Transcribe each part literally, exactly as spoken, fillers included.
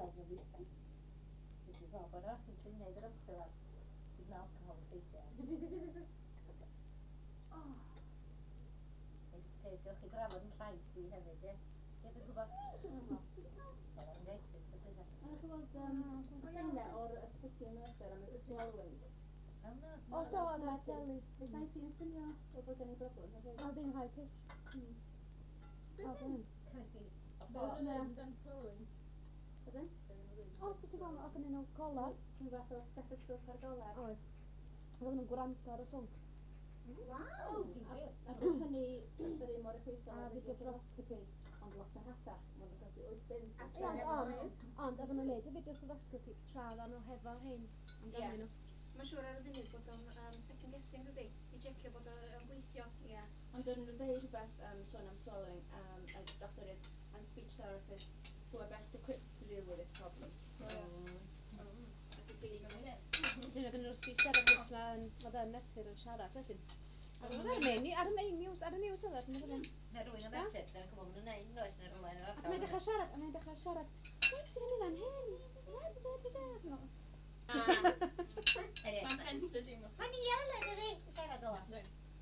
Everything. This is all bod o'n ti'n neud yr ymchwil ar sut mae alcohol yn effeithio. Oh. Peth gewch chi drafod yn llais i hefyd, ie? Ie, dwi'n gwybod. Laryngitis, beth ydych. A chi weld um, lluniau o'r ysbyty yn Merthyr am y swallowing? O, na. O, do, ar y teli. Fe llais i'n swnio fel bod gen i broblem hefyd. O, ddim high pitch. Mm. O, ddim. Cymysgu. Be oedden nhw'n neud amdan swallowing? Ydyn? Be oedden nhw'n dweud? O, so ti'n gweld, oedd gennyn nhw golar. Rhyw fath o stethoscope ar golar. Oedd. Oedden nhw'n gwrando ar y llwnc. Waw! O, difyr. A bryd hynny, yr un mor effeithiol A â videofloroscopy. Ond lot o rhatach, mae'n achosi wyth bunt. A Ie, ond, ond, ond oedden nhw'n neud y videofloroscopy tra oedden nhw hefo rhein amdanyn nhw. Mae'n siŵr ar y funud bod o'n um, second guessing, dydi? I checio bod o'n gweithio. Ie. Ond dyn nhw'n dweud rhywbeth um, sôn am swallowing, um, a doctoriaid and speech therapists who are best equipped to deal with this problem. Mm. Dyna gen nhw'r speech therapist ma yn, oedd yn Merthyr yn siarad wedyn. Ar y main, ar y main news, ar y news oedd ar y main. Na rwy'n o Merthyr, dyna'n gwybod maen nhw'n neud, does, neu rhywle yn yr Ac mae'n dechrau siarad, a mae'n dechrau siarad. Reit, ti'n mynd fan hyn. Da, da, da, da. Mae'n censored dim lot. Mae'n iawn, ydy, siarad ola. A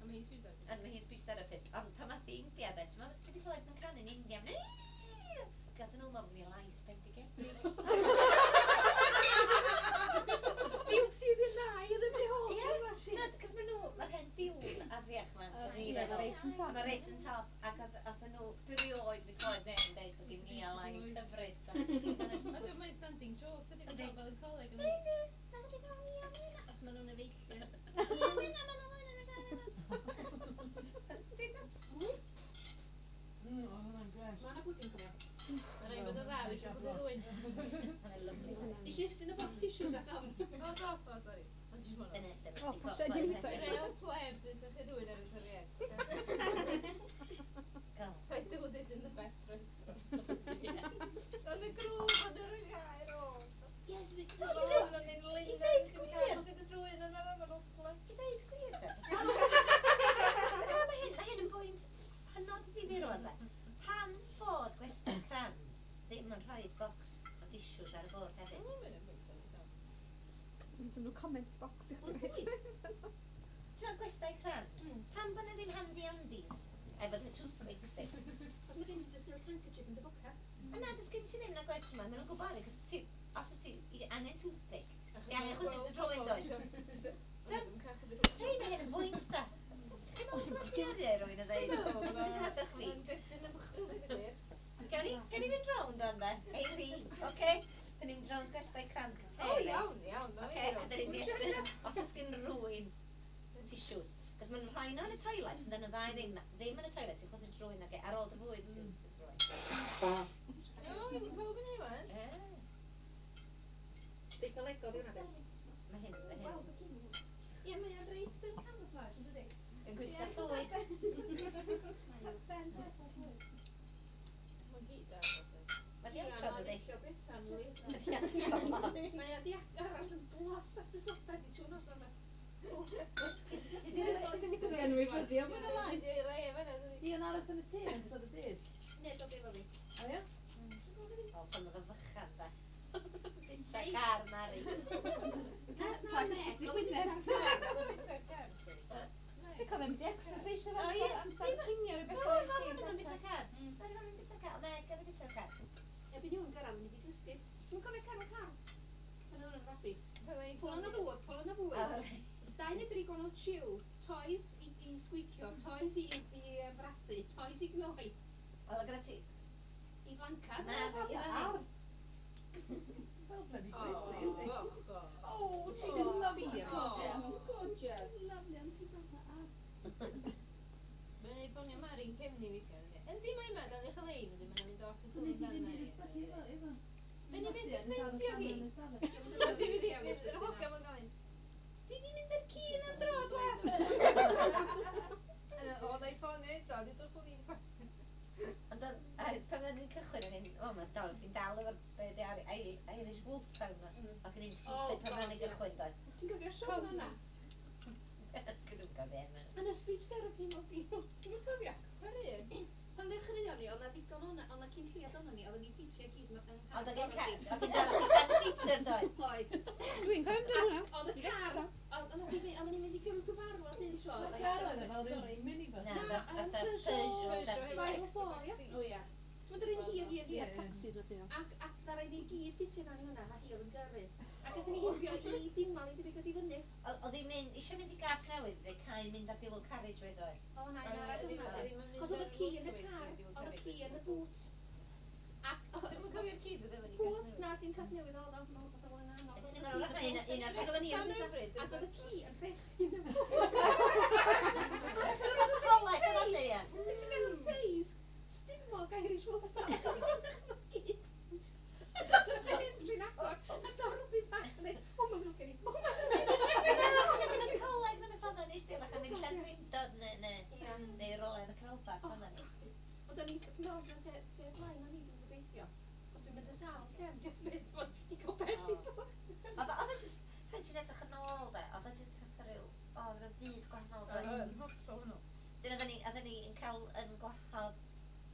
mae hi'n speech therapist. And mae hi'n speech therapist. Ond pan mae di India, de, ti'n meddwl, ti wedi clywed nhw'n canu yn India? Gadw nhw, mae mi lais bendigedig. Beauty is in the eye of the beholder. Ie, cos maen nhw, mae'r hen diwn afiach ma. Ie, mae reit yn top. Mae reit yn top, ac oedd nhw, dwi rioed wedi clywed neb yn deud bod gen ni a lais hyfryd. A dwi'n mae'n standing joke, ydy, fel fel yn coleg. Ydy, na wedi cael ni am hynna. Os maen nhw'n efeillio. Hynna, maen nhw'n hynna. Mm, oedd hwnna'n gres. Mae yna bwdin cofio. Mae'n rhaid bod yn dda, dwi eisiau bod yn rhywun. Nes i estyn y box tissues ac ofn. O, do, o, sori. Ond jyst mwyn. Dyna, dyna. O, pasio ni Dwi'n real pleb, dwi'n sychu rhywun ar y serviette. I do this in the best restaurant. Yn y grŵp yn yr gair o. Yes, Yn mynd linen, ti'n cael bod y drwy'n yna fan ogla. I ddeud gwir, de. Na, mae hyn, mae hyn yn bwynt hynod ddifyr o'n de. Pam bod gwesty crand ddim yn rhoi box o tissues ar y bwrdd hefyd? Fysa nhw comments box i chdi. Ti'n gwestai crand? Pam bod nhw ddim handy andies? Efo dy toothpicks di. Os mae gen ti dy silk handkerchief yn dy bocad. A na, does gen ti ddim na gwesty yma. Maen nhw'n gwybod, cos ti, os wyt ti angen toothpick, ti angen chwythu dy drwyn, does? Hei, mae hyn yn bwynt da. Chi'n meddwl ti'n cyddi rwy'n y ddeud? Esgusodwch fi. Mae'n destun ymchwil i ddweud. Gawn ni, gawn ni fynd rownd o'n de? Eili, oce? Dyn ni'n mynd rownd gwestai crand te, O, iawn, iawn. Oce, a dyn ni'n edrych os oes gen rhywun tissues. Cos maen nhw'n rhoi nhw yn y toilet, ond dyn nhw ddau ddim, ddim yn y toilet, ti'n chwythu drwyn ag ar ôl dy fwyd, ti'n drwyn. O, wedi pawb yn ei wan. Ie. Seicolegol di hwnna. Mae hyn, mae hyn. Ie, mae o'n reit yn camouflage, yn dydi? Yn gwisgo llwyd. Ben peth o llwyd. Mae'n gyd ar. Mae di antro, dydi? Licio Bethan, wi. Mae di antro lot. Mae o di aros yn glos at y soffa di trwy nos yna. Ti di Di anwybyddu o mwy na lai. Di le fan'na, dydi? Di o'n aros yn y tŷ yn ystod y dydd? Ne, dod efo fi. O ie? O, pan oedd o'n fychan, da. Bita car, Mari. Na, na, Rhag ne. Ysbyty Gwynedd. Dwi'n cofio mynd i exercise O, amser, ie. amser cinio rhywbeth No, o'r no, chdi. mae'n bita car. Mae'n bita car. Meg oedd yn bita car. Erbyn hwn gyrraedd, mynd i gysgu. Dwi'n cofio Carol Car. Pan oedd o'n fabi. Pwl yn y ddŵr, pwl yn y fwyd. Dau neu dri gwahanol chew, toys i, i sgwicio, toys i, i, i frathu, toys i gnoi, Wel, gyda ti... i flancad. Na, Na, ar. Fel bloody O, grizzly, yndi? boch o. Oh, she's lovely. Oh. Gorgeous. Lovely, ond ti'n gweld ar. Mae'n ei ffonio Mari'n cefni weithiau. Yndi, Yndi, mae yma, dal i'ch lein, yndi, mae'n mynd off y Dyn ni ffôn 'di dan fynd i'r Mari. ysbyty efo, efo. Dyn ni byth yn Yn aros ffeindio allan hi. yn y stafell. Yndi, fydd hi, yr hogan ma'n gofyn, Di di mynd â'r ci am dro, dwa? O, na i ffonio eto, dudwch bod fi'n Ond oedd, a pan oedden ni'n cychwyn o'n i'n, o, mae Dorothy'n dal efo'r, be di ar, Irish Wolfhound ma. Ac o'n i'n stupid pan God, oedden ni'n ie. gychwyn, doedd. Ti'n cofio'r siôn yna? Dwi'n cofio enw. Yn y speech therapy mobile, ti'n cofio? Pa un? Pan ddechreuon ni, oedd na ddigon o'na, Ond na cyn lleiad ohonon ni, oedden ni'n ffitio gyd yn car. Ond oedd gen car, oedd gen Dorothy seven seater doedd? Oedd. Dwi'n cofio amdano hwnna. Oedd y car, oedd oedden ni'n mynd i gyrru gyfarfod un tro. Mae'r car oedd e fel rhyw minibus. Na, fatha Peugeot seven Spiral four, ia? O ia. Ti'n mynd yr un hir, hir, hir. Taxis ma ti'n Ac, ac ddaru ni gyd ffitio mewn i hwnna, a hi oedd yn gyrru. Ac aethon ni heibio i Dimal i debyg i fyny. Oedd hi'n mynd, eisiau mynd i gas newydd, fe cael mynd ar dual carriageway doedd? O na, un arall oedd hwnna. Cos oedd y ci yn y car, oedd y ci yn y boot. Ac Dwi'm yn cofio'r ci ddod efo ni Pw, na, dim cas newydd oedd o, mae'n fatha bod yn anodd. Ac oedden ni yn ac oedd y ci yn rhechu yn y boot. Coleg yn allu, ie. Ti'n meddwl seis, stumog Irish Wolfhound. Ac oedd y ffenestr yn agor, a Dorothy bach yn dweud, o, mae'n ddrwg gen i, o, mae'n Dwi'n meddwl bod yn y coleg yn y ffordd nes di, fatha mynd Llandrindod neu, neu, neu rolau yn y canolbarth fan'na ni. Ond o'n i, ti'n meddwl, na se, se blaen o'n i dwi'n gobeithio. Os dwi'n mynd y sâl, cem, diolch beth, ti'n di cael bell i dod. Oedd o just, pan ti'n edrych yn ôl de, oedd o just fatha rhyw, o, oedd rhyw fyd gwahanol. Oedd yn hollol hwnnw. Dyna oedden ni, oedden ni yn cael yn gwahodd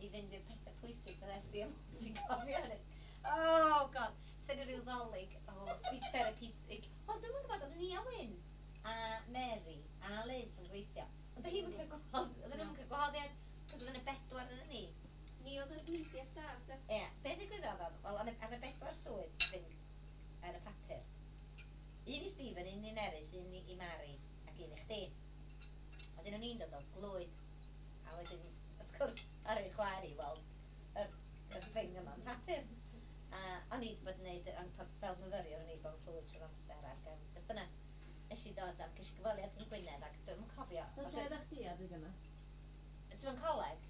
i fynd i'r pethau pwysig fel S E M, ti'n cofio hynny? Oh god, dyna rhyw ddolig o oh, speech therapy. Wel, dwi'm yn gwybod, oedd Nia Wyn a Mary a Liz yn gweithio. Ond oedd hi'm yn cael gwahodd, oedden nhw'm yn cael gwahoddiad, cos oedd yna bedwar yn ni. Ni oedd y media stars, de. Ie, be ddigwyddodd oedd, wel, ar y bedwar swydd fynd ar y papur. Un i Stephen, un i Nerys, un i Mary ac un i chdi. Wedyn o'n i'n dod o Glwyd, a wedyn, wrth gwrs, ar ei chwaer i weld yr, yr thing yma'n papur. A o'n i wedi bod yn neud, o'n fel myfyriwr o'n i bod yn Clwyd trwy'r amser ac um, beth bynnag, nes i ddod am ges i gyfweliad yn Gwynedd ac dwi'm yn cofio. So lle oeddech chdi adeg yna? Ti'n yn coleg,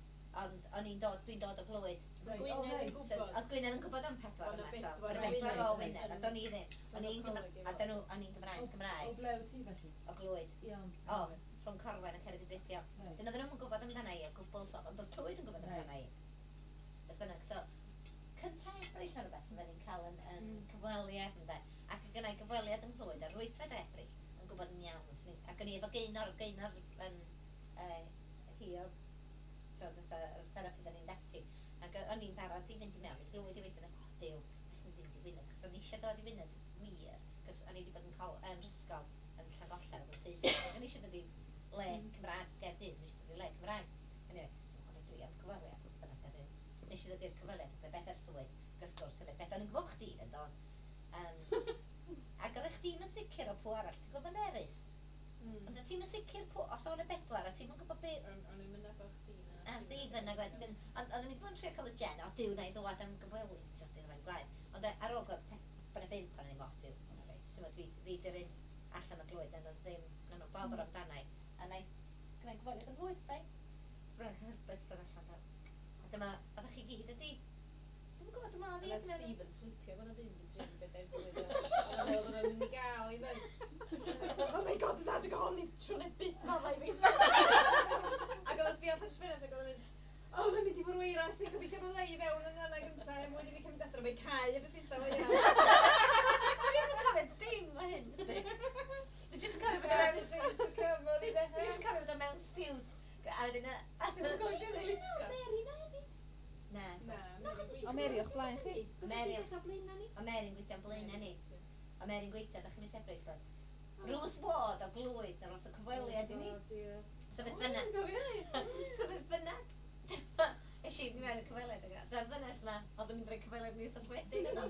ond o'n i'n dod, dwi'n dod o Glwyd. Right. Gwynedd Oh, yn reit. So, gwybod. oedd Gwynedd yn gwybod am pedwar Bod 'na yma, so, bedwar bod o y bedwar o Wynedd. Wynedd, a do'n i ddim. O'n i'n Coleg efo. A dyn nhw, o'n i'n Gymraes O Gymraeg, ble wyt ti felly? o Glwyd. Iawn. O, rhwng Corwen a Ceredigion. Reit. Dyn oedden nhw'm yn gwybod amdana i o gwbl, so, ond oedd Clwyd yn gwybod amdana i. Beth bynnag, so, cynta Ebrill neu rhywbeth, fydden ni'n cael yn, yn Mm. cyfweliad, ynde. Ac oedd gynna i gyfweliad yng Nghlwyd ar wythfed Ebrill, yn gwybod yn iawn. Swn i, ac o'n i efo Gaynor, oedd Gaynor yn uh, hi oedd, so, fatha, yr therapydd o'n i'n dati. Ac o'n i'n barod i fynd i mewn i Glwyd i weithio, o Duw, beth yn fynd i Wynedd, cos o'n i eisiau dod i Wynedd wir, cos o'n i wedi bod yn, col, yn ysgol yn Llangollen yn Saesneg, ac o'n i eisiau dod i le Cymraeg Gaerdydd, o'n i eisiau dod i le Cymraeg. Anyway, so o'n i drio am cyfweliad, beth bynnag, a wedyn nes i ddod i'r cyfweliad, oedd bedair swydd, ac wrth gwrs, oedd beth o'n i'n gwybod chdi yn dod. Um, ac oeddech chdi'm yn sicr o pw arall, ti'n gwybod Nerys? Mm. Ond ti'n yn sicr pw, os o'n y bedwar, a ti'n yn gwybod be, O'n o'n i'n mynd efo chdi na. A Stephen ag oedd, ond oedden ni wedi bod yn trio cael y gen, o Duw na i ddwad am gyfweliad, ti'n gwybod, mae'n gwaith. Ond yy, ar ôl gweld pe- bod 'na bump o'n i'n o Duw, o reit, ti'n gwybod, fi, fi di'r un allan o Glwyd, na oedd ddim, na nhw bobr amdana i. A na i gwneud gyfweliad yn Glwyd, fine. Bron Herbert dod allan da. A dyma, oeddech chi gyd ydi? Dwi'm yn gwybod, dwi'n meddwl A fi nath oedd Stephen fflipio bod 'na bump yn tri bedair swydd. O'n i'n meddwl bod o'n mynd i gael i ddweud. Oh my god, na, dwi'n honni trwy neu byth maddau fi. Ac oedd o'n sbio allan trwy ac oedd o'n mynd, o, mae'n mynd i fwrw eira, os ti'n gobeithio bod ei fewn yn hynna gyntaf, er mwyn i fi cymryd adra, mae'n cau y beth o hynna. Dwi'n cofio dim o hyn, sdi. Dwi jyst yn cofio bod o mewn Dwi jyst yn cofio bod o mewn stiwt. A wedyn... a- Dwi'm yn cofio Dwi beth meddwl Mary na hefyd. Na. Na, Na, achos nes i O Mary o'ch blaen chi? Mary. Mary. Dechrau blaenau ni. O Mary'n gweithio am blaenau ni. O Mary'n gweithio, ddechrau mis Ebrill dod. Ruth Ward o Glwyd, na roth y cyfweliad i ni. So beth bynnag. So beth bynnag. Es i mewn y cyfweliad. ac Dyna'r ddynes yma, oedd yn mynd rhoi cyfweliad mi wythnos wedyn yno.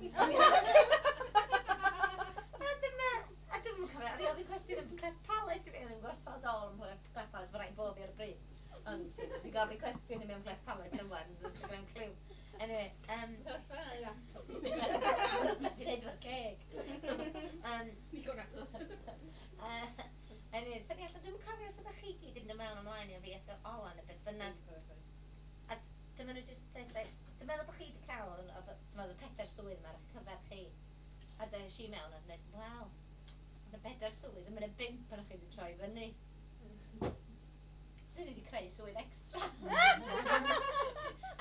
A dyma, a dwi'm yn cofio, o'n i ofyn cwestiwn am cleft palate i fi, o'n i'n gwasod ôl am cleft palate, mae rhaid bo fi ar y bryd. Ond jyst ti'n gofyn cwestiwn i mi am cleft palate yma, dwi'n gwneud cliw. Anyway, um, rhywbeth i wneud efo'r ceg. Um, Nico Ragos. uh, anyway, dyn ni allan, dwi'm yn cofio os ydych chi gyd yn mynd mewn ymlaen i fi ath Olan neu beth bynnag. A dyma nhw jyst deud, like, dwi'n meddwl bod chi wedi cael, ond oedd- dwi'n meddwl y pedair swydd yma ar eich cyfer chi. A des i mewn a dweud, wel, mae yna bedair swydd, a mae yna bump ohonoch chi wedi troi fyny. So dyn ni wedi creu swydd extra.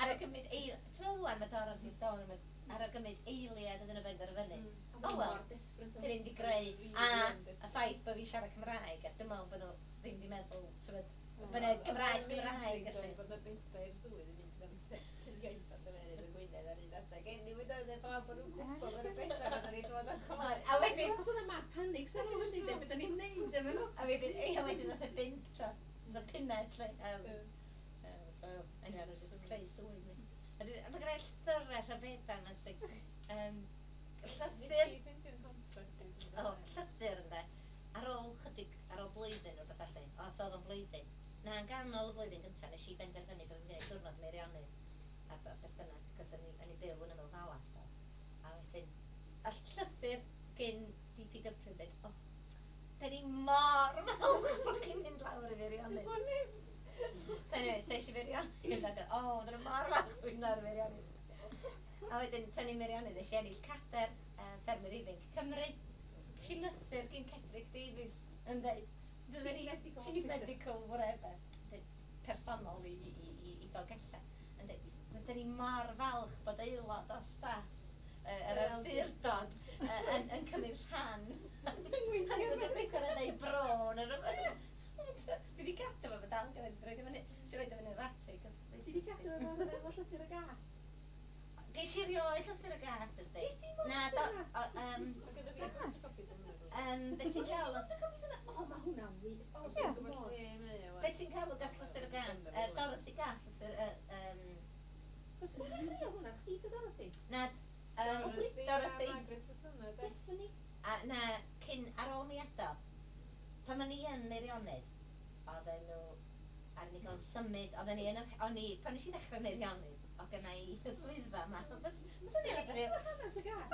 Ar y gymryd eil... Ti'n meddwl ŵan, mae Dorothy sôn am y- ar y gymryd eiliad iddyn nhw fynd ar y fyny. Mm. O, wel, Mor desperate. Dyn ni wedi greu, a y ffaith bod fi'n siarad Cymraeg, a dwi'n meddwl bod nhw ddim wedi meddwl, ti'n meddwl, bod yna Gymraes Gymraeg, felly. Bod 'na bedair swydd yn mynd am lle iaith ar gyfer. Ac anyway, doedd e fel bod nhw'n gwybod bod y bethau oedden ni'n dod ar chwaer. A wedyn, Achos oedd y mad panic, so nhw'n wedi dweud beth ni'n neud efo nhw. A wedyn, ia, wedyn nath e bump tro, nath pumed, lle. Um, uh, so, anyway, nhw just creu sŵn ni. A dwi- a mae gen i llythyrau rhyfeddau yma, sdi. Um, llythyr, o, llythyr ynde, ar ôl chydig, ar ôl blwyddyn o'r beth felly, o, so oedd o'n blwyddyn. Na, yn ganol y flwyddyn gyntaf, nes i benderfynu bod fi'n gwneud diwrnod Meirionnydd a b- beth bynnag, cos o'n i, o'n i byw yn ymyl fala, so. A wedyn, a llythyr gyn D P W yn dweud, "O, da ni mor falch bod chi'n mynd lawr i Feirionnydd." So anyway, so eisiau Feirionnydd, ac o, oedden nhw mor falch bod fi'n lawr i Feirionnydd. A wedyn, tynnu Meirionnydd, nes i ennill cader uh, Ffermwyr Ifanc Cymru. Ges i lythyr gyn Cedric Davies yn dweud, "Fydden ni Chief Medical Chief Officer. Medical whatever, dweud, personol i, i, i, i Dolgellau, yn dweud, 'Rydyn ni mor falch bod aelod o staff uh, yr awdurdod uh, yn, yn cymryd rhan yn gweithio ar ei bro neu rhywbeth." Dwi wedi cadw fo, fo dal gyda fi, roed i fyny, eisiau roed i fyny yr atig. Ti wedi cadw efo efo llythyr y gath? Ges i rioed llythyr y gath, ysdi? Ges ti mor Na, do, llythyr y o, um, Mae gyda fi photocopies o'n meddwl. um, be ti'n cael? Photocopies yna? O, mae hwnna'n wych. O, Ie. dwi'n gwybod lle mae o. Be ti'n cael o gath llythyr y gath? Uh, Dorothy Gath, llythyr, uh, um, Cos pwy ddechreuodd hwnna? Chdi ta Dorothy? Na, um, Dorothy a Dorothy. Margaret Sassona, de. Stephanie? A na, cyn, ar ôl mi adael, pan o'n i yn Meirionnydd, oedden nhw, ar ni gael symud, oedden ni yn, y- o'n i, pan nes i ddechrau Meirionnydd, oedd gynna i y swyddfa yma. Fys, fyswn i fatha ryw- Hanes y gath?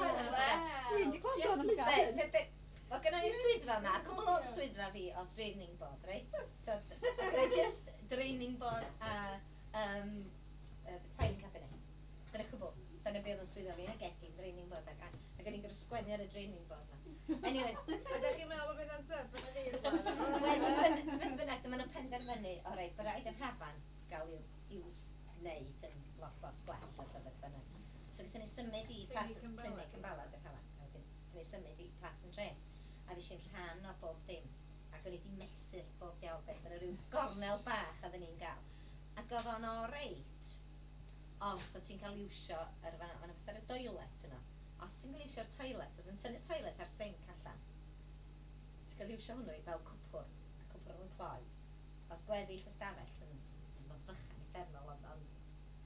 Wel. Dwi'n 'di clywed sôn am y gath. Be- be- be- Oedd gynna i'r swyddfa yma, a cwbl o'r swyddfa fi oedd draining board, reit? So, oedd just draining board a um, uh, filing cabinet. Dyna cwbl. Dyna beth oedd yn swyddfa fi, a gegin, draining board, ac, ac o'n i'n gorfod sgwennu ar y draining board ma. Anyway, Ydych chi'n meddwl bod hynna'n tough yn y fi rŵan? Wel, beth bynnag, dyma nhw'n penderfynu, o reit, bod rhaid yr hafan gael i'w, i'w wneud yn lot, lot gwell, a beth bynnag. So gaethon ni symud i Plas, Clinic yn Bala. Clinic yn Bala, yr hafan. A wedyn, gaethon ni symud i Plas yn Dre. A fi eisiau'n rhan o bob dim. Ac o'n i wedi mesur bob diawl beth, yn rhyw gornel bach oedden ni'n gael. Ac oedd o'n o reit, os o ti'n cael iwsio yr fan, fan fatha y toilet yno. Os ti'n cael iwsio'r toilet, oedd yn tynnu'r toilet a'r sink allan. Ti'n cael iwsio hwnnw i fel cwpwr, a cwpwr oedd yn cloi. Oedd gweddill y stafell yn, yn fychan uffernol, ond, ond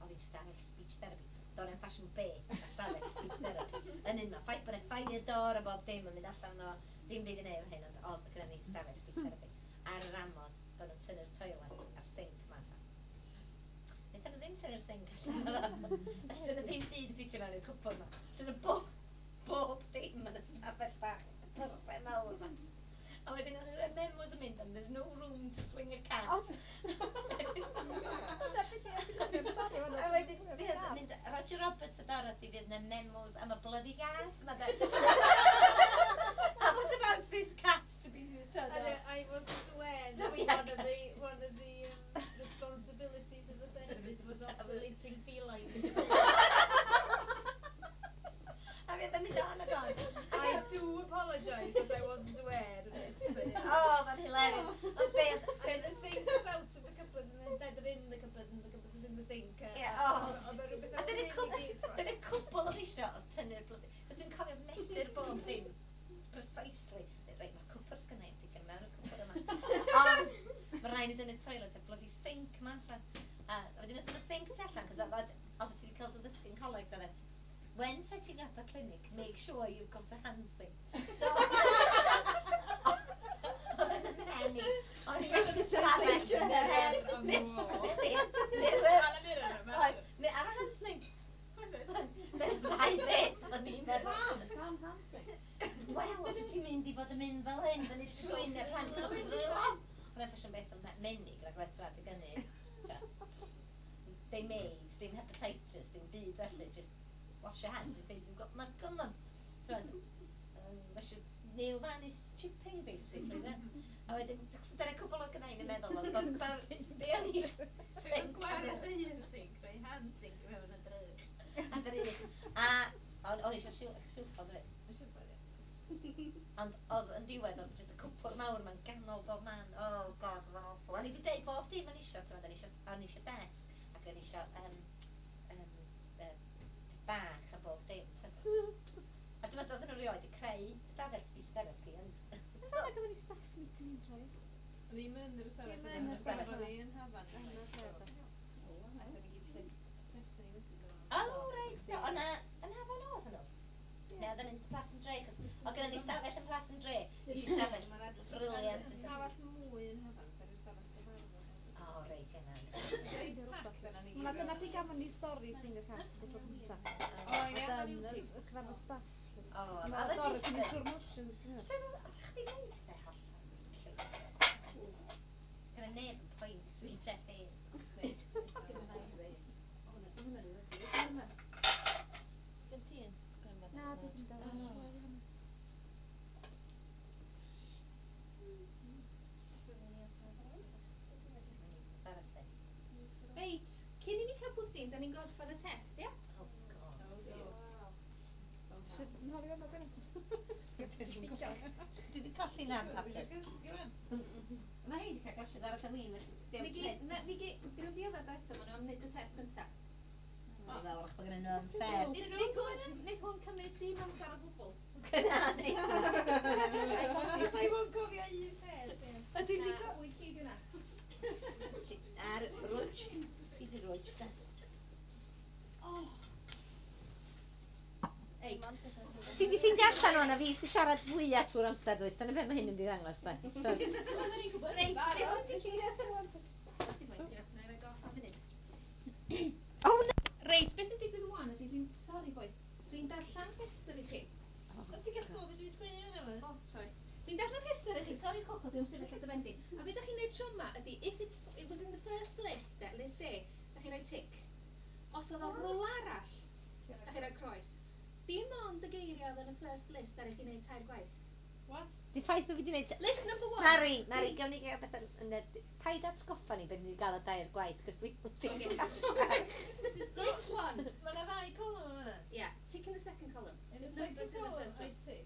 oedd hi'n stafell speech therapy. Do'n i'm ffasiwn be a stafell speech therapy. Yn un ffaith bod e fire door a bob dim yn mynd allan o, dim byd i neud efo hyn, ond oedd gyda ni stafell speech therapy. Ar yr amod bod nhw'n tynnu'r toilet a'r sink ma allan. Wnaethon nhw ddim tynnu'r sink allan. Felly dyna ddim byd ffitio mewn i'r cwpwr ma. Dyna bob, bob dim yn y stafell bach perffaith mawr ma. A wedyn oedd yr memos yn mynd, and there's no room to swing a cat. A wedyn fydd yn mynd Roger Roberts a Dorothy fydd yna memos am y bloody gath. Ma da. And what about this cat to be And I, I wasn't aware No, that we one had of the one of the um, responsibilities of the therapist was oscillating felines. A fydd yn mynd on ac on. I do apologise that I wasn't aware of this. But, Oh, that's hilarious. Ond beth, And the sink was out of the cupboard and instead of in the cupboard and the cupboard was in the sink. Uh, Yeah, oh. Oedd o rhywbeth A fel dyna hyn i cwbl, gyd, t'mod. dyna cwbl oedd isio oedd tynnu'r bloody. Cos dwi'n cofio mesur bob dim precisely. Reit, mae'r cwpwr sgynna i, ffitio mewn y cwpwr yma. Ond, mae rhaid i dynnu toilet a bloody sink yma allan. A wedyn nath nhw sink tu allan, cos oedd oedd ti wedi cael dy ddysgu'n coleg, doeddet. "When setting up a clinic, make sure you've got a hand sink." So, oedd yn y mhen i. O'n i'n mynd i'r stafell. Mirror on the wall. Mirror. Ar y mirror yma. Oes, mi- ar y hand sink. Dyna'r ddau beth o'n i'n meddwl. Pam? Pam hand sink? Wel, os wyt ti'n mynd i fod yn mynd fel hyn, fyny trwyn y plant yn o'ch ddwylo. Hwna'n ffasiwn beth o'n menig, rhaid gwed ti'n adeg hynny. Dim AIDS, dim hepatitis, dim byd felly, just wash your hands in case you've got, ma' come on. T'mod, um, ma' isio nail varnish chipping, basically, ne? A wedyn, so dyna cwbl o gynna i'n meddwl, ond bo- bo- be o'n i isio Dwi'n sink gwared y hun sink, rhoi hand sink i mewn y drych. A drych. A o'n o'n i isio silffod hefyd. Mae'n siŵr bod, ie. Ond oedd yn diwedd, oedd jyst y cwpwr mawr ma'n ganol bob man. Oh God, oedd o'n awful. O'n i wedi deud bob dim o'n i isio, t'mod, o'n i isio, o'n i isio desg, ac o'n i isio um, um, uh, dau stafell speech therapy, ond... Yn fanna gafon ni staff meeting yn troi. Ddim yn yr ystafell. Ddim yn yr ystafell. O'n i yn Hafan. Yn yr ystafell. Aethon ni gyd lle Stephanie wedyn. O, reit, na, o'na, yn Hafan oedd hwnnw? Ne, oedd yn mynd Plas yn Dre, cos oedd gynnon ni stafell yn Plas yn Dre. Nes i stafell brilliant. Ystafell mwy yn Hafan, sef yr ystafell gyfarfod. O, reit, yna. Reit packed yna ni gyd. Na, dyna pryd gafon ni stori Singer Cat y tro cynta. O, ie. Oedd yn y cyfarfod staff. O, Dwi'n oedd meddwl o Doris jyst yn mynd yn- trwy'r motions. Ti'n meddwl, oedd chdi'n neud pethau hollol? Gyda neb yn poeni Sweet F A. Sgen ti un? Na, dwi ddim dal. Reit, cyn i ni cael pwdin, da ni'n gorffen y test, ia? Oh, God. Sut ti'n holi fan'na, Gwenno? Dwi wedi colli na'n papur. Mae hi wedi cael glasiad arall o win, felly... Mi gi, na, mi gi, dyn nhw'n di yfed o eto, maen nhw am wneud y test gynta. Mae'n fel wrach bod gen nhw unfair. Neith hwn, neith hwn cymryd dim amser o gwbl. Cyna, ni. Sa'i mwyn cofio un peth. ie. A dwi'n Na, di wyth gig yna. Ar rwtsh. Ti di rwtsh, da. Reit. Ti di ffeindio allan o'n a fi sydd siarad fwyaf trwy'r amser, dwyt? Dyna beth mae hyn yn di ddangos, da. So, Reit, beth sy'n digwydd? Dim oed, ti'n na i roi off am munud. oh, no! Reit, beth sy'n digwydd wan ydy dwi'n... Sorry boi. Dwi'n darllen rhestr i chi. Ond ti'n gallu gwybod beth dwi'n sgwennu yna ma? Oh, sorry. Dwi'n darllen rhestr i chi. Sorry Coco, dwi'n sefyll ar dy ben di. A beth ydych chi'n neud tro yma ydy, if it's, it was in the first list, eh, list A, da chi'n rhoi tick. Os oedd o rwla arall, da chi'n rhoi croes. Dim ond y geiriau oedd yn y first list ar i chi wneud tair gwaith. What? Di ffaith bod fi wedi gwneud... List number one. Mari, Mari, gawn ni gael beth yn... yn y- Paid atgoffa ni beth ni wedi gael o dair gwaith, cos dwi wedi Okay. cael... List one. Mae yna ddau column yma. Yeah, tick in the second column. In the Just numbers second in the column, first I one. tick.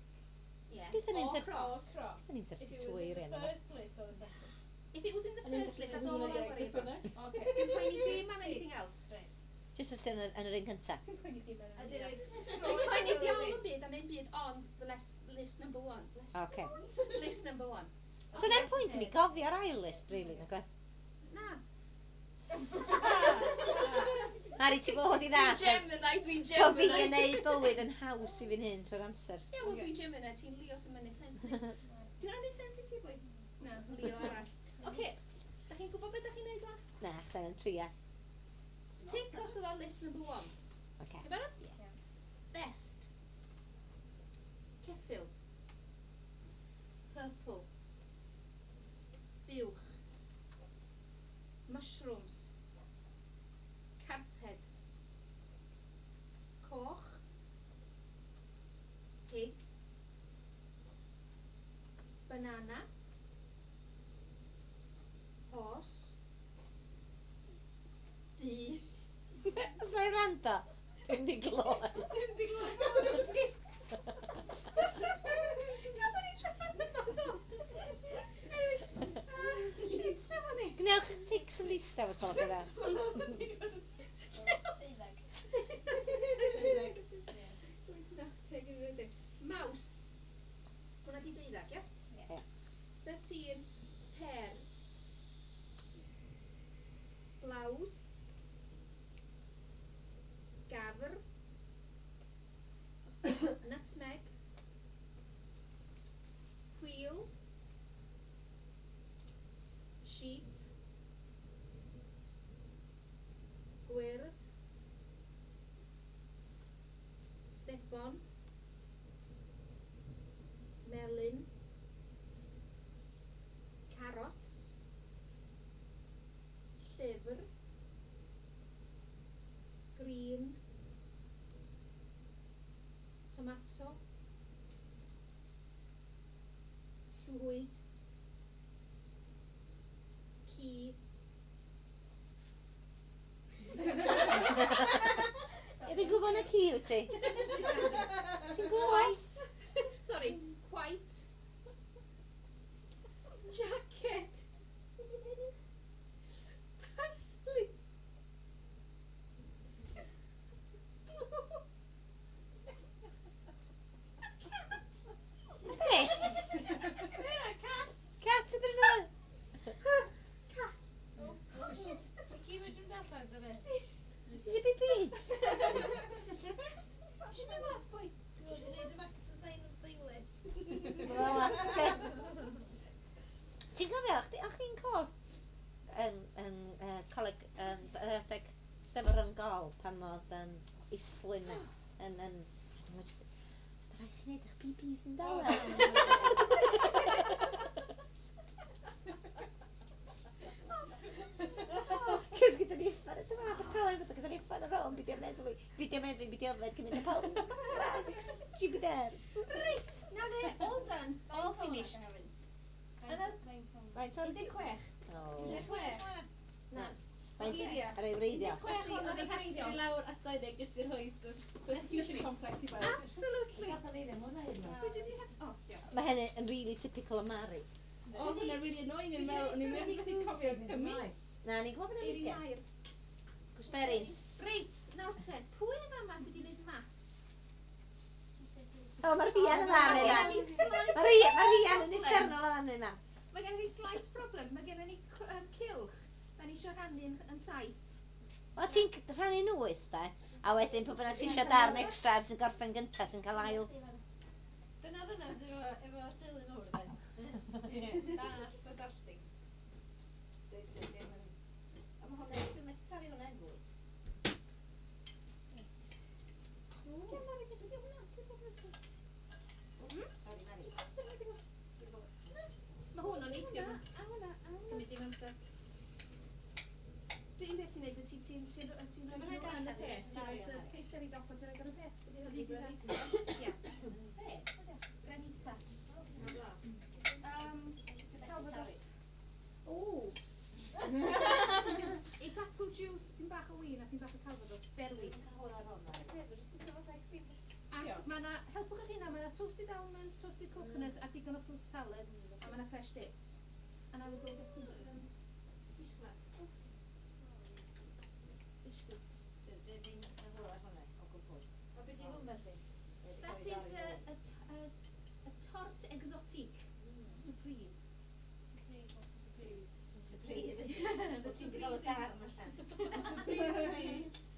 Yeah. Beth yn Or un thir- cross. Or cross. Beth yn un If it was thirty-two in eiriau the yna? first list or the second. If it was in the first list, that's all I worry about. Okay. Dwi'n poeni dim am anything else. Right. Jyst os yn yr un cynta. Dwi'n poeni dim am A anything dyn else. nhw'n Dwi'n poeni diawl yn byd am un byd ond the list, list number one. List, Oce. list number one. So na'n pwynt i mi gofio'r ail list, really, na gwaith. Na. Mari, ti fod i ddall. Dwi'n Gemini, dwi'n Bo fi yn Gemini. neud bywyd yn haws i fi'n hyn trwy'r amser. Ie, wel dwi'n Gemini, ti'n Leo sy'n mynd sense. Dwi'n rhan sense i ti, boi? Na, Leo arall. Oce, da chi'n gwybod beth da chi'n neud wan? Na, chdan yn tria. Tick os oedd ar list number one. Oce. Ti'n barod? Ie. Best. Ceffyl. Purple. Buwch. Mushrooms. Carped. Coch. Pig. Banana. Horse. Du. Os na i rando, dwi'n di gloi. Dwi'n di glywed. Gafon ni trafod yma ddo. Anyway, ah, shit, lle o'n i? Gwnewch tics yn ddistaw os gwelwch yn dda. Deuddeg. Na, deg yn rhedeg. Mouse. Hwna di deuddag, ia? Ie. Thirteen. Pear. Blouse. Gafr. Nutmeg. Wheel. Sheep. Gwyrdd. Sebon. Melyn. Carrots. Llyfr. Green. Tomato. Llwyd. Ci. Ie, fi'n gwybod na ci wyt ti? Ti'n glywed? White. Sorry, white. Jacket. Parsley. Cat. Ti'n cofio, o'ch chdi'n cod yn, yn uh, coleg, um, yr adeg Steddfod Rhyng-gol pan oedd um, Islwyn yn, yn, yn, mae rhaid chi wneud eich P Ps yn dawel. Cos gyda ni uffar, dyma Abertawe, gyda ni uffar ar ôl, beidio meddwi, beidio meddwi, beidio yfed, cymryd y pawb. Jupiters. Reit, na fe, all done, all finished. Faint Un deg chwech. Un deg chwech. Na. Faint ar ei wreiddio. Un deg chwech o'n ei wreiddio. I lawr at dau ddeg jyst i'r rhoi persecution complex i bawb. Absolutely. Mae hynny yn really typical o Mari. Oedd hynny'n really annoying yn meddwl, o'n i'n methu cofio cymaint. Na, ni'n gwybod yn ugain. Gooseberries. Reit, nawr te, pwy yn fama sydd wedi gwneud maths? O, mae'r Rhian yn dda yn ei maths. Mae'r Rhian yn uffernol o dda yn ei maths. Mae gen i slight problem, mae gen i um, cylch. Da ni eisiau rhannu yn, yn saith. O, ti'n rhannu'n wyth, da? A wedyn, pwy bynnag ti eisiau darn extra sy'n gorffen gyntaf sy'n cael ail. Dyna ddyna sydd efo, efo teulu mawr, da. Dallt a dallting. A mae hwnna, dwi'n methu torri hwnna yn fwy. Reit. Ww. Mari, beth ydi hwnna? Ti'n bod person? Sorry, Mari. Mae hwn o'n neithio. A hwnna, a hwnna. Cymryd dim amser. Dwi'n beth ti'n neud, ti'n ti'n ti'n ti'n rhoi nhw yn y peth, ti'n rhoi paste ar ei dop a ti'n rhoi ar y peth. Ie. Granita. Um, Calvados. Ooh. It's apple juice, pyn bach o win a pyn bach o Calvados, berwi. Ac mae yna, helpwch eich hunan, mae yna toasted almonds, toasted coconuts a digon o fruit salad, a mae yna fresh dates. And I will go get some um, bishla. Bishla. That is a, a, a, a tarte exotique. Surprise. Surprise. The surprise is... Surprise.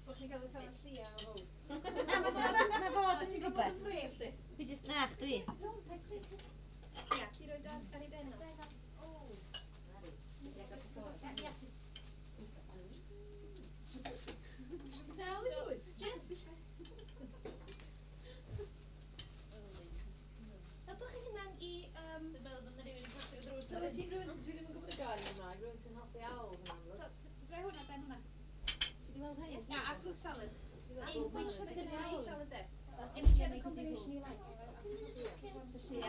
Bod chi'n cael y tan llia o fawr. Na, mae fod yn rhywbeth. Dwi jyst, na, dwi. Ia, ti roed ar, ar ei ben o. Dal i siŵr. Just... Helpwch chi hunan i... Um, Dwi'n meddwl bod yna rhywun yn clapio drws. So wyt ti'n rhywun, dwi ddim yn gwybod y gair yn Gymraeg, rhywun sy'n hoffi owls yn amlwg. So, so, rhoi hwnna ar ben hwnna. Ti wedi weld rhain? Na, a fruit salad. Apple Un salad. fruit salad there. In whichever combination you like. Ti'n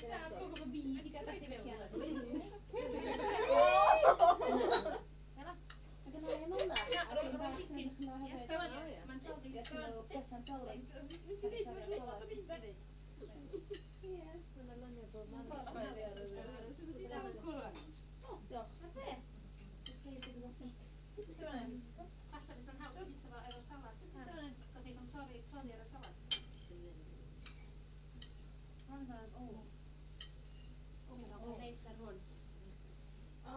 dal gwybod bod fi wedi gadael chdi mewn. Hela. Mae gen i am hwnna. Na, rhoi rhoi dipyn. Ie, mae'n toddi. Ie. Mae'n arlunio bob man. O, diolch. Na fe. Surprise exotic. Falle fysa'n haws i bita fo efo'r salad. Cos neith o'n torri, toddi ar y salad. O, O, neis ar hwn. O,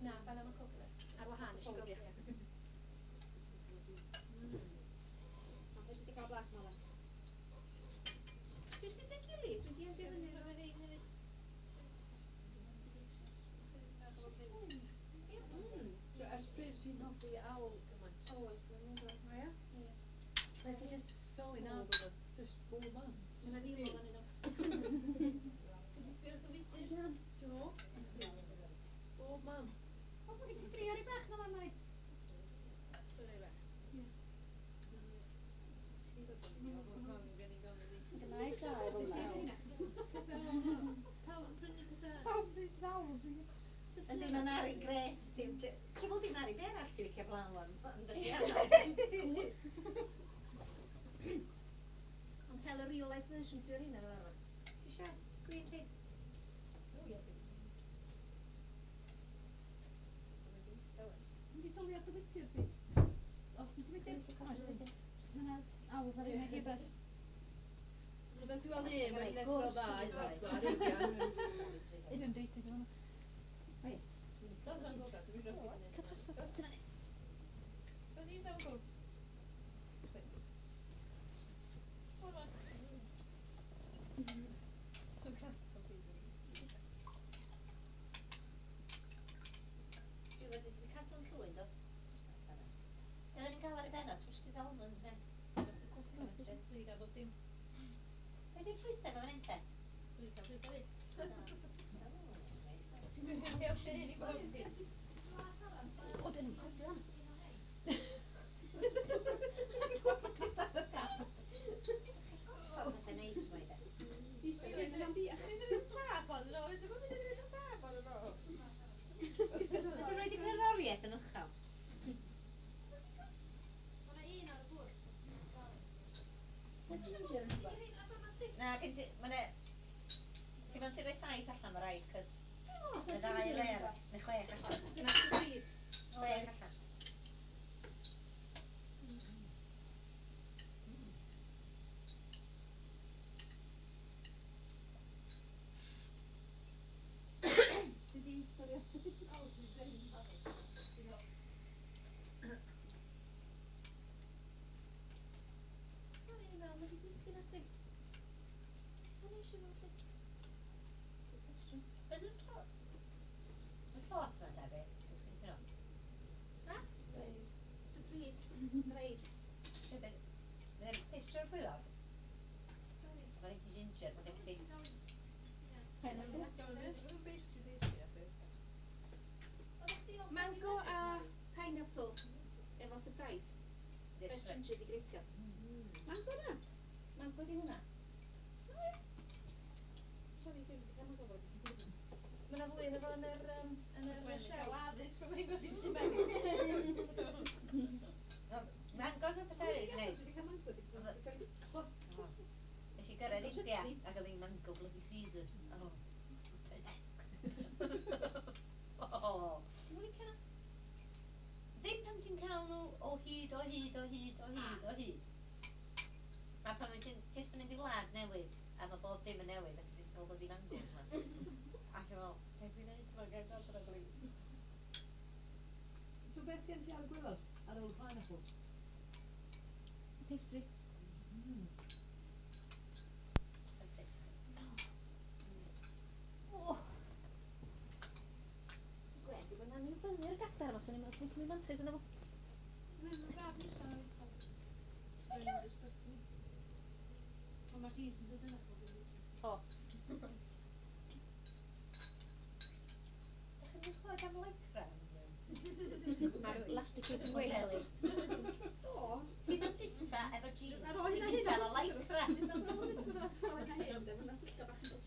Na, banana coconut. Ar wahân, nes i gofio chi. Ond fedri di gael blas yn ola. Dwi sy'n dy gilydd? Dwi di adio fyny. Mm. Ers pryd ti'n hoffi owls gymaint? O, ers blynyddoedd. O ie? Ie. Nes i just sylwi nawr bod o just bob man. Mae 'na fil ohonyn nhw. Do. Bob man. O, mae gen ti dri ar ei bach na fan, Mari. Gynna i ddau fel 'na. Pawb yn ddawns. Yndi, mae Mari'n grêt. Trwbl di Mari, be arall ti'n licio blaw am? Ond Ond cael y real life version dwi ar hynna fel arfer. Ti isio gwin chi? Ti'n di sylwi ar dy wydyr di? Os ti'n Wydyr? Mae 'na owls ar un ag bus. Nes i weld un, wedyn nes i weld ddau, pedwar, ugain. Inundated efo hwnna. Oes. Cael trafferth. Dyna ni. Be ni'n gael ar y benod? Twisted almonds, fe? Dwi wedi cael bob dim. Be di'r ffrwythau ma fan hyn te? Dwi wedi cael ffrwythau fyd. Dwi'n helpu hyn i bawb ti. O, dyn nhw'n cofio hwnna. So, pethau neis mae de. Dwi'n mynd tap on yn ôl. Dwi'n mynd i'r tap on yn ôl. Dwi'n rhaid i cerddoriaeth yn uchel. Mae yna un ar y bwrdd. Oes 'na ginger yn rhywbeth? Na, gen ti... Ma' 'na... Ti'n meddwl ti rhoi saith allan, mae rhaid, cos... Oes Mae 'na ddau ginger yn ler, rhywbeth? neu chwech allan. Dyna surprise. Chwech allan. Dwi 'di, sori. Sori, ni'n meddwl, mae wedi disgyn os di. Mae'n eisiau fo felly. Good question. Be dwi'n to... Mae tort yma te, be? Dwi'n nhw. Na? Surprise. Surprise. Surprise. Be, be... Mae'n pastry o'r chwilod? Sorry. Mae gen ti ginger, mae gen ti... Pineapple. Mango a pineapple efo surprise. This Fresh ginger di greitio. Mango na? Mango di hwnna. Sorry, dwi wedi cael mango fod. Mae yna fwy yn efo yn yr, um, yn yr shelf. Addysg pan mae'n dod i ti mewn. Mangos o pethau eraill, neis. Dwi wedi cael mango, di cael ei O. Nes i gyrraedd India ac oedd hi'n mango bloody season. Oh. Oh. Ti'n licio na? Ddim pan ti'n cael nhw o hyd, o hyd, o hyd, o hyd, o hyd. A pan wyt ti'n jyst yn mynd i wlad newydd, a mae bob dim yn newydd, a ti'n jyst cael bloody mangoes ma. A ti'n meddwl, Beth dwi'n neud yma, gael adra, please. So beth sgen ti ar y gwaelod ar ôl y pineapple? Pastry. Mm. hyfryd. O! Gwen, di bod yn annibynu'r gadar yma, so ni'n meddwl sy'n cymryd mantais yna fo. Mae'n braf nesa. Ond mae cheese yn dod yna. O. Dach chi'n mynd clywed am lycra? Mae'r elasticated waists. Do. Ti'n mynd bita efo jeans, Ar ôl ti'n hynna bita hyn, efo lycra. Dwi'n dod yn wisgo ar ôl hynna hyn, de, mae'n dillad bach yn dod.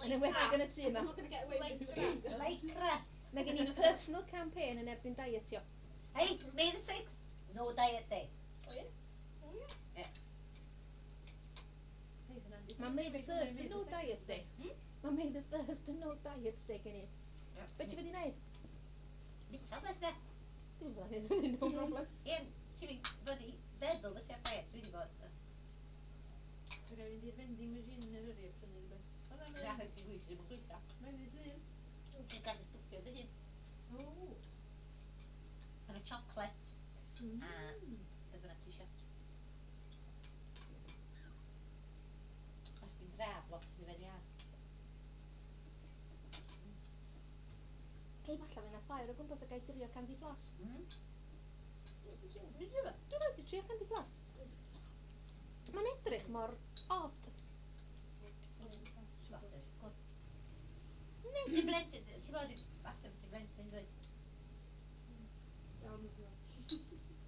Yn enwedig yn y tŷ yma. I'm not gonna get away with this. Lycra. Mae gen i personal campaign yn erbyn dietio. Hey, May the sixth, no diet day. O ie? Ie. Mae May the first yn no diet day. Mae May the first yn no diet day gen i. Be ti wedi wneud? Bita beth de. Dwi'n fydda neud hynny, no problem. Ie, ti'n mynd fod i feddwl bod ti ar diet, dwi wedi bod. Ti'n gael fynd i'r vending machine yn yr hyrru a prynu rhywbeth. O na, Na, mae'n... ti'n gweithio, ddim yn gweithio. Mae'n ddydd Llun. Ti'n gael dy stwffio dy hun. O. Mae yna chocolates a beth bynnag ti isio. Os dwi'n braf lot, mi fynd i ar. Hei, falle mae yna ffair o gwmpas a gai drio candy floss. Mm. Dwi'n drio fo? Dwi'n wedi trio candy floss. Mae'n edrych mor odd. Falle siwgr. Dim blentyn, ti'n bod, falle dim blentyn, dweud.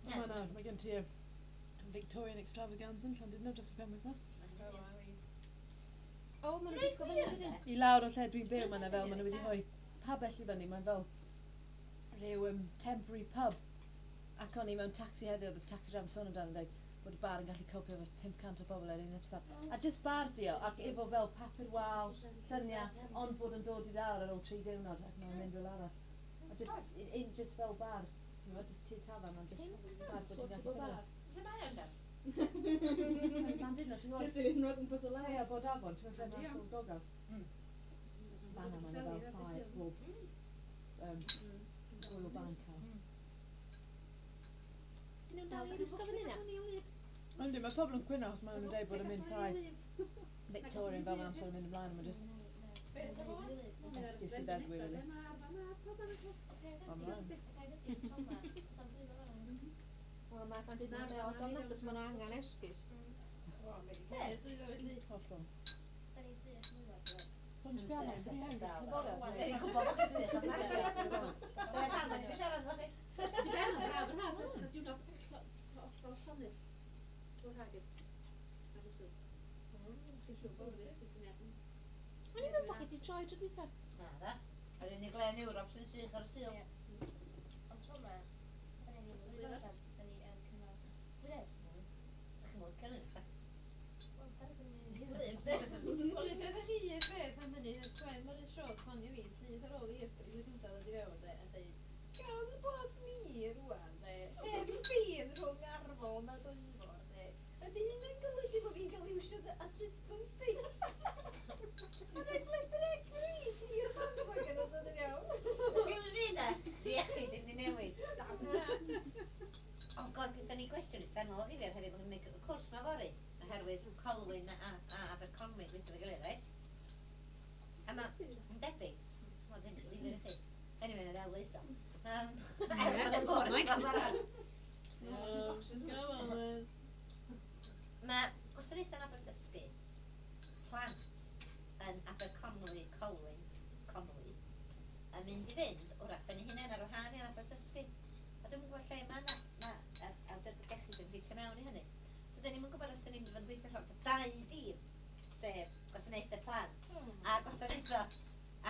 Mae na, mae gen ti y Victorian Extravaganza yn Llandudno dros y penwythnos. O, maen nhw'n disgo fyny wedyn. I lawr o lle dwi'n byw, mae 'na fel, maen nhw wedi rhoi pabell i fyny, mae'n fel rhyw um, temporary pub. Ac o'n i mewn taxi heddiw, oedd y taxi driver yn sôn amdano yn dweud bod y bar yn gallu copio efo pump cant o bobl ar un ymsaf. A just bar di o, ac efo fel papur wal, lluniau, ond bod yn dod i lawr ar ôl tri diwrnod ac mae'n mynd rhywle arall. A just, un, un just fel bar, ti'n gwybod, just tŷ tafarn, ond just bar bod ti'n gallu Sort of sefyll. bar. Lle mae o te? Llandudno, ti'n gwybod? Just yn unrhyw gwmpas o Ie, les. bod afon, ti'n gwybod lle mae Ysgol Gogow? Mm. Fan'na mae 'na fel ffair bob um, gŵyl banc. Dyn nhw'n dal i wisgo fyny na? Yndi, mae pobl yn cwyno achos maen nhw'n dweud bod yn mynd llai Victorian fel mae amser yn mynd ymlaen, a mae'n just esgus i feddwi, really. Ond maen. Wel, mae fan dweud mae o don agos maen nhw angen esgus. Be? Dwi'n felly. Hollol. Da ni'n sych mwyaf, dwi'n Dwi'n sbio arno, dwi'n Dwi'n gwybod bod chi'n sych am Dyna pam ydw i'n siarad efo chi. Ti'n be, mae'n braf yr haf, ti'n cael diwrnod hollol llonydd. Trwy'r haf gyd. Ar y Sul. Chi'n tourist, wyt ti'n meddwl. O'n i'n meddwl bod chi wedi troi tro dwytha. Na dda. Yr unig le yn Ewrop sy'n sych ar y Sul. Ond tro yma, da ni'n da ni yn cynnal gwyredd. Dach chi'n licio hynny? Wel, da ni'n Gwlyb, de. Wel, ydych chi un beth am hynny, y tren mor siop hon i fi, sydd ar ôl i April y cyntaf ddod i fewn, de, a dweud, gawn bod ni rwan, de, heb ffin rhwng Arfon a Dwyfor, de, ydy hynny'n golygu bod fi'n cael iwsio dy assistance di? A dweud, flippin' heck, fi ti'r bandwagon os ydyn iawn. Excuse me, de, di iechyd ddim di newid. Oh god, gyda ni gwestiwn uffernol o ddifyr hefyd, mae'n gwneud y cwrs ma fory, oherwydd Colwyn a, a Aberconwy gweithio efo'i gilydd, reit? A ma' yn debyg, wel ddim ddifyr i chi. Anyway, na ddel leith o. Um, er bod y bwrdd yn barod. Come on, then. Mae gwasanaethau anabledd dysgu plant yn Aberconwy, Colwyn, Conwy, yn mynd i fynd wrach ben eu hunain ar wahân i anabledd dysgu. A dwi'm yn gwybod lle mae na, ma awdurdod iechyd yn ffitio mewn i hynny. So dyn ni'm yn gwybod os dyn ni'n mynd i fod yn gweithio rhwng dau dîm, sef gwasanaethau plant a gwasanaethau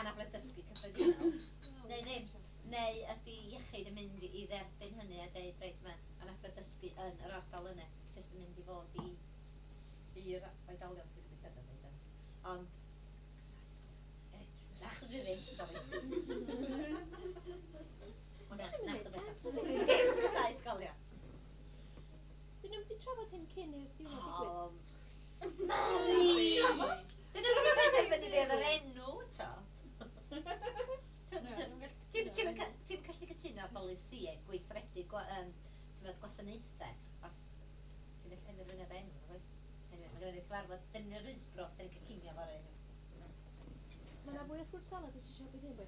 anabledd dysgu cyffredinol, neu ddim. Neu ydy iechyd yn mynd i dderbyn hynny a deud, reit, mae anabledd dysgu yn yr ardal yna, jyst yn mynd i fod i i'r oedolion, dwi'n gobeithio dwi'n dweud. Ond, na, chdi dwi ddim, sori. O na, na, chdi dwi ddim yn casáu ysgolion. Dyn nhw'n wedi trafod hyn cyn i'r diwrnod digwydd? Mari! Dyn nhw'n wedi penderfynu be oedd yr enw, to. Ti'n gallu cytuno ar bolisïau gweithredu gwasanaethau os ti'n gallu penderfynu ar enw, nag oes? Anyway, mae gen i cyfarfod, dyn ni'n Risbro, dyn ni'n cael cinio fory. Mae yna fwy o fruit salad os eisiau bydd hyn, boi.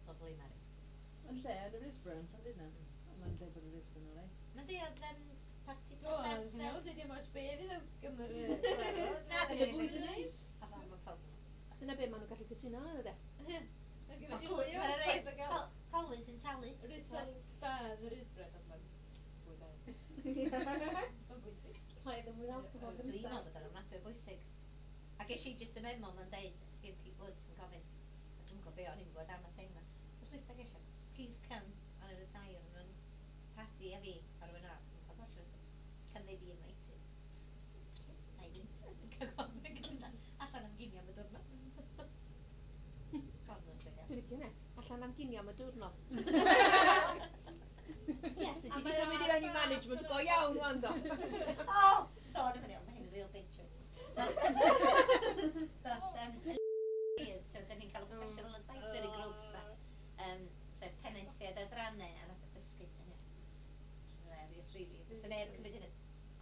Lovely, Mari. Yn lle, yn y Risbro, yn Llandudno. Mae'n dweud bod y Risbro yn alright. Na di, oedd um, parti O, priodas... ti'n iawn, dim ots be fydd outcome yr... Na, Ydy dwi'n bwyd yn neis. A fa, mae pawb. Dyna be maen nhw'n gallu cytuno arno, de. Mae Mae'r reit, Colwyn sy'n talu. Result da yn y Risbro, achos mae'n bwyd da. Mae'n bwysig. Rhaid yn mwy alcohol Dwi'n meddwl bod o'n ofnadwy o bwysig. A ges i jyst y memo ma'n deud, i'r Pete Woods yn gofyn, a dwi'n gwybod be o'n i'n gwybod am y thing ma. Os dwytha ges i, please come, a o'n i'n ddau o'n nhw'n Paddy a fi, a rhywun arall, yn cael allan, can they be invited? Na i ddim os dwi'n cael gofyn gyda, allan am ginio am y diwrnod. Dwi'n licio hynna. Allan am ginio am y diwrnod. Yes, ti wedi symud i fewn i management go iawn wan do. O! Sôn am hynny, ond mae hyn yn real bitch. But, um, is, so dyn ni'n cael professional advisory groups fa. Um, sef penaethiaid adrannau a nath dysgu hynny. Hilarious, really. So neb yn cymryd hynny.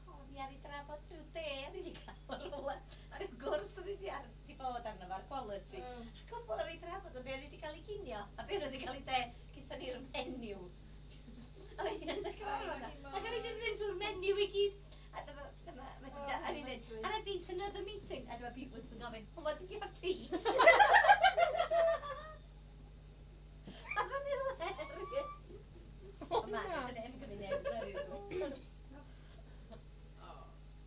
O, ni ar ei drafod rhyw de, a ni wedi cael ar rhywle. A rhyw gwrs oedd wedi ar, di bod arno fo ar quality. A cwbl ar ei drafod, ond be oedd wedi cael ei ginio, a be oedd wedi cael ei de, gyda ni'r menu. A oedd hi yn y cyfarfod na. Ac o'n i jyst mynd trwy'r menu i gyd. A dyma, dyma, a ni'n dweud, and I've been to another meeting. A dyma Pete Woods yn gofyn, well, what did you have to eat? A oedd o'n hilarious. O, Ond na, na. nes i ddim cymryd neb seriously.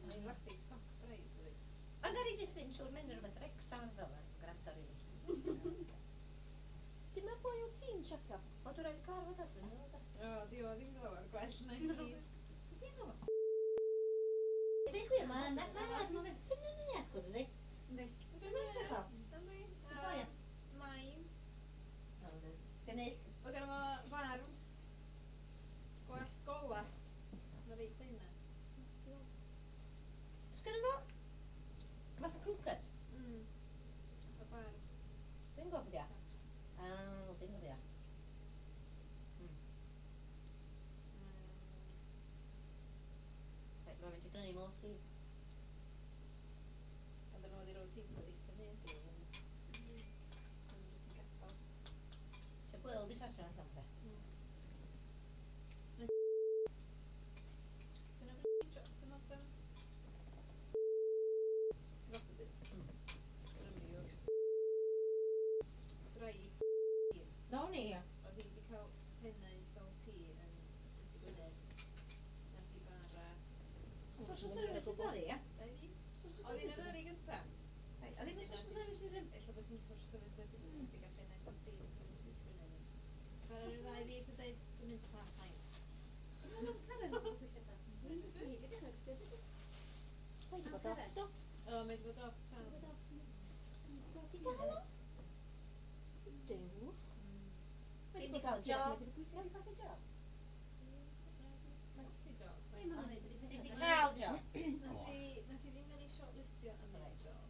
Mae'n werth stoc braidd, dydi? Ond ar i jyst mynd trwy'r menu rhywbeth Wrecsam fel yma, gwrando rili. Sut mae boi o ti'n siapio? O, dwi'n rhaid cyfarfod os dwi'n meddwl. O, di o ddim lawer gwell na i gyd. Deud gwir, mae yna, mae yna, mae'n ffyn yn uniaith, gwyd ydi? Yndi. Dwi'n edrych fel. Yndi. O, ie. Main. Dwi'n Mae gynno fo farw. Gwallt gola. Mae reit yna. Sgynno fo fath o crew cut? Mm. Y barf. Dwi'n gwybod beth ia. Ah, dwi'n gwybod ia. Mm. Reit, mae'n mynd i brynu mor tea. A dyn nhw wedi rhoi tea sydd wedi hyn. Dwi'n jyst yn gadael. Isio gweld i sortio allan te. Mm. Pennaeth O T yn Ysbyty Gwynedd. Nath i bara. Social services oedd hi, ia? Dau fis? Oedd hi'n yr yrru gynta. Reit, oedd hi'n social services ddim? Ella bod hi'n social service wedyn, mm. Wedi gael pennaeth O T yn Ysbyty Gwynedd. Bara ryw ddau fis a dweud, "Dwi'n mynd part-time." Karen yn gweithio ta. Dwi'n just i ddechrau chdi. Mae 'di bod off, do? O, mae wedi bod off sal. Di gael o? Duw. Mae 'di cael job. Mae 'di gweithio. Mae 'di cael job. Mae'n colli job. Ie, maen nhw'n neud yr un Dim peth. 'di cael job. Nath hi nath hi ddim cael ei shortlistio am y Reit. job.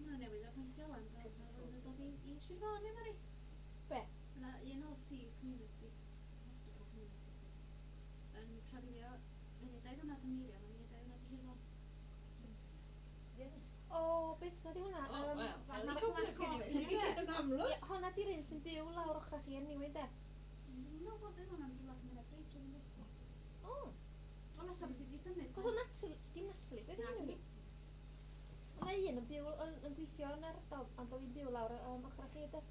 Mae'n newydd apwyntio wan, do. Mae'n dod i, i Sir Fôn, efo ni. Be? Yna un O T community, hospital community, yn trafeilio, mae'n neud dau diwrnod ym Meirion, mae'n neud dau diwrnod yn Sir Fôn. O, beth na di hwnna? O, Yym, wel, ma' helicopter ma' gen i. Ie. Yn amlwg. Ie, honna di'r un sy'n byw lawr ochr chi yn Newyn, de? Dwi'n meddwl bod hwnna'n rhywle lle mae'n bryd, dwi'n meddwl. O, O, nesa beth i di symud. cos o Natalie, dim Natalie, beth Na, yw'n dim enw? O'na un yn byw, yn, yn gweithio yn ardal, ond oedd hi'n byw lawr um, ochr chi, de?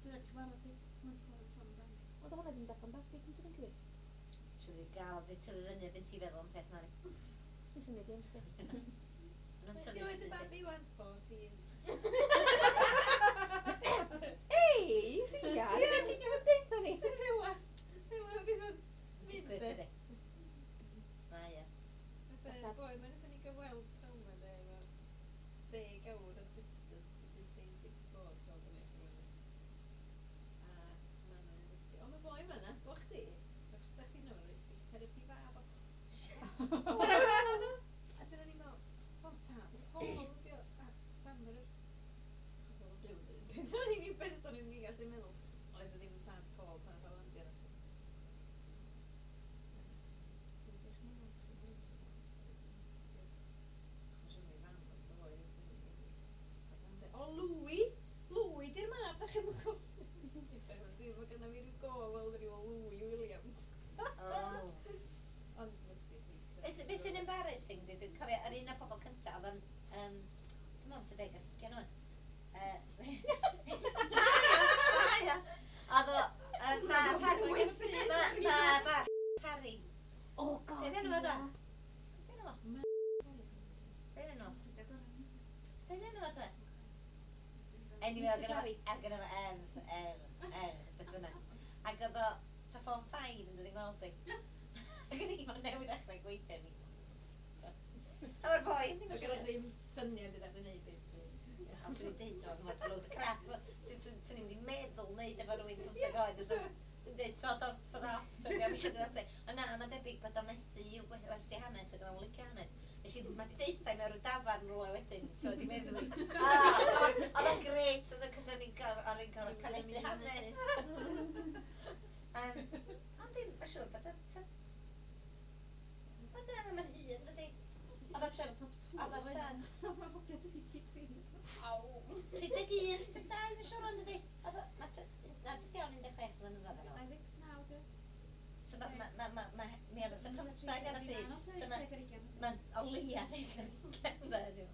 Dwi'n rhaid cyfarfod ti. Mae'n clywed sôn amdano. Ond oedd hwnna ddim darllen babi, dwi'n dwi'n cymryd. Siwr i gael, di tyfu fyny beth ti'n feddwl am peth, Mari. Dwi'n symud dim, sgwrs. Ma'n Beth tyfu yw oed y sydyn. babi wan? Fourteen. Ei, Rhia, beth ti'n mynd deitha ni? Fela. Fela fydd o'n mynd Digwydd, de. dydi? Mae e. Fatha, boi, mae'n nathon ni gyfweld pnawn 'ma de, efo deg awr assistant i distain sixty-four, so oedd yn eich. A ma' nhw'n dweud, "O, mae boi yma na, bo chdi, mae jyst da chdi yna, mae'n rhoi speech therapy fab o." A dyna ni'n meddwl, o tad, Paul ydi o, a stammerer. Achos oedd o'n byw yn yr un peth, o'n i'n person yn i'n gallu meddwl, oedd o ddim yn tad Paul pan oedd o'n landio yna. Dwi'n edrych ymlaen at chi fwy. Achos mae'n siŵr mai fam oedd y boi ddim yn mynd. O, Louis! Louis di'r mab, da chi'n cofio? Dwi'n meddwl gynna fi ryw go weld ryw Louis Williams. Oh. Ond must be at least Beth beth sy'n embarrassing, di, dwi'n cofio, yr un o'r pobl cyntaf, oedd yn, um, dwi'n meddwl sy'n deg ar hugain oed. Yy, Ia. Oedd o, yy, mab Harry, mab mab Harry. Oh, God, Beth enw fo, da? ie. Beth enw fo? Beth enw? Beth enw fo, da? Anyway, oedd Mister gynno fo, Barry. oedd gynno fo err, err, err, beth bynnag. Ac oedd o, ta form five yn dod i gweld fi. Ac o'n i fod newydd ddechrau gweithio ni. A mae'r boi yn ddim Mae yn gyda siŵr. ddim syniad beth yn neud, basically. Ond swn i'n deud o'n what a load of crap. Swn i'n mynd i meddwl neud efo rhywun pymtheg oed. Swn i'n deud, "Sod off, sod off." Swn i'n eisiau dod ati. Ond na, mae'n debyg bod o'n methu i'w gwersi hanes ac o'n licio hanes. Nes i, mae di deutha i mewn rhyw dafarn rhywle wedyn, so di meddwl fi. Oedd o'n grêt, oedd o'n cos o'n i'n gor- o'n i'n gorfod caledu hanes. Um, Ond dim, mae'n siŵr bod o, ta- Ond na, mae'n hŷn, dydi? Oedd o tua- oedd o tua tri deg un, tri deg dau, mae'n siŵr ond dydi? Oedd o, ma' tua- na, jyst iawn un deg chwech flynyddoedd yn ôl. dau ddeg naw, di. So ma' ma' ma' ma' ma' mi oedd o tua pymtheg ar y pryd. So ma' Deg ar ugain. Ma'n o leia deg ar ugain, de, ti'n